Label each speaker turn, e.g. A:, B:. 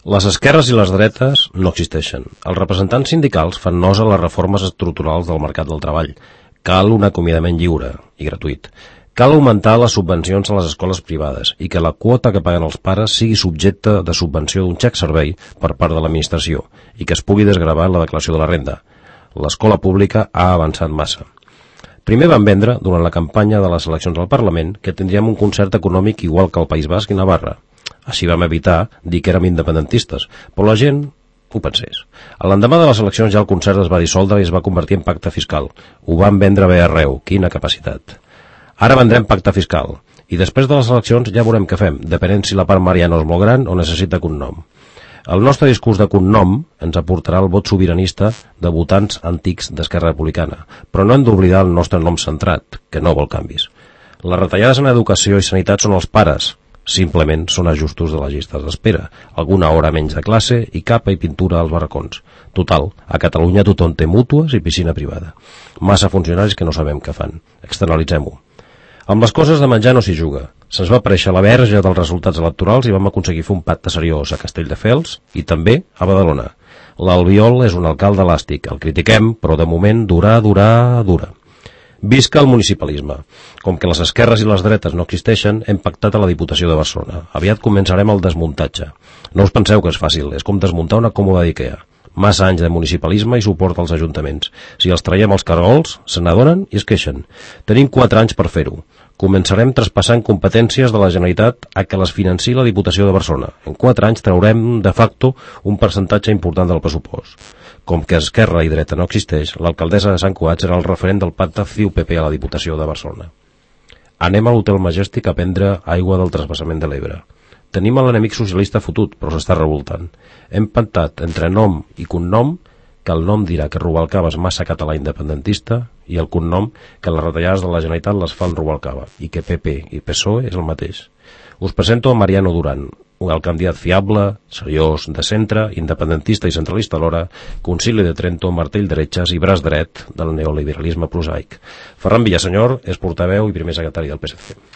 A: Les esquerres i les dretes no existeixen. Els representants sindicals fan nosa a les reformes estructurals del mercat del treball. Cal un acomiadament lliure i gratuït. Cal augmentar les subvencions a les escoles privades i que la quota que paguen els pares sigui subjecte de subvenció d'un xec servei per part de l'administració i que es pugui desgravar la declaració de la renda. L'escola pública ha avançat massa. Primer van vendre, durant la campanya de les eleccions al Parlament, que tindríem un concert econòmic igual que el País Basc i Navarra. Així vam evitar dir que érem independentistes, però la gent ho pensés. L'endemà de les eleccions ja el concert es va dissoldre i es va convertir en pacte fiscal. Ho van vendre bé arreu, quina capacitat. Ara vendrem pacte fiscal, i després de les eleccions ja veurem què fem, depenent si la part Mariano és molt gran o necessita cognom. El nostre discurs de cognom ens aportarà el vot sobiranista de votants antics d'Esquerra Republicana, però no hem d'oblidar el nostre nom centrat, que no vol canvis. Les retallades en educació i sanitat són els pares, simplement són ajustos de les llistes d'espera, alguna hora menys de classe i capa i pintura als barracons. Total, a Catalunya tothom té mútues i piscina privada. Massa funcionaris que no sabem què fan. Externalitzem-ho. Amb les coses de menjar no s'hi juga. Se'ns va aparèixer la verge dels resultats electorals i vam aconseguir fer un pacte seriós a Castelldefels i també a Badalona. L'Albiol és un alcalde elàstic, el critiquem, però de moment dura. Visca el municipalisme. Com que les esquerres i les dretes no existeixen, hem pactat a la Diputació de Barcelona. Aviat començarem el desmuntatge. No us penseu que és fàcil, és com desmuntar una còmoda d'Ikea. Massa anys de municipalisme i suport als ajuntaments. Si els traiem els caragols, se n'adonen i es queixen. Tenim 4 anys per fer-ho. Començarem traspassant competències de la Generalitat a que les financi la Diputació de Barcelona. En 4 anys traurem, de facto, un percentatge important del pressupost. Com que esquerra i dreta no existeix, l'alcaldessa de Sant Cugat serà el referent del pacte CiU-PP a la Diputació de Barcelona. Anem a l'Hotel Majestic a prendre aigua del transvasament de l'Ebre. Tenim l'enemic socialista fotut, però s'està revoltant. Hem pactat entre nom i cognom que el nom dirà que Rubalcaba és massa català independentista i el cognom que les retallades de la Generalitat les fan Rubalcaba i que PP i PSOE és el mateix. Us presento a Mariano Duran, el candidat fiable, seriós, de centre, independentista i centralista alhora, concili de Trento, martell d'heretges i braç dret del neoliberalisme prosaic. Ferran Villasenyor és portaveu i primer secretari del PSC.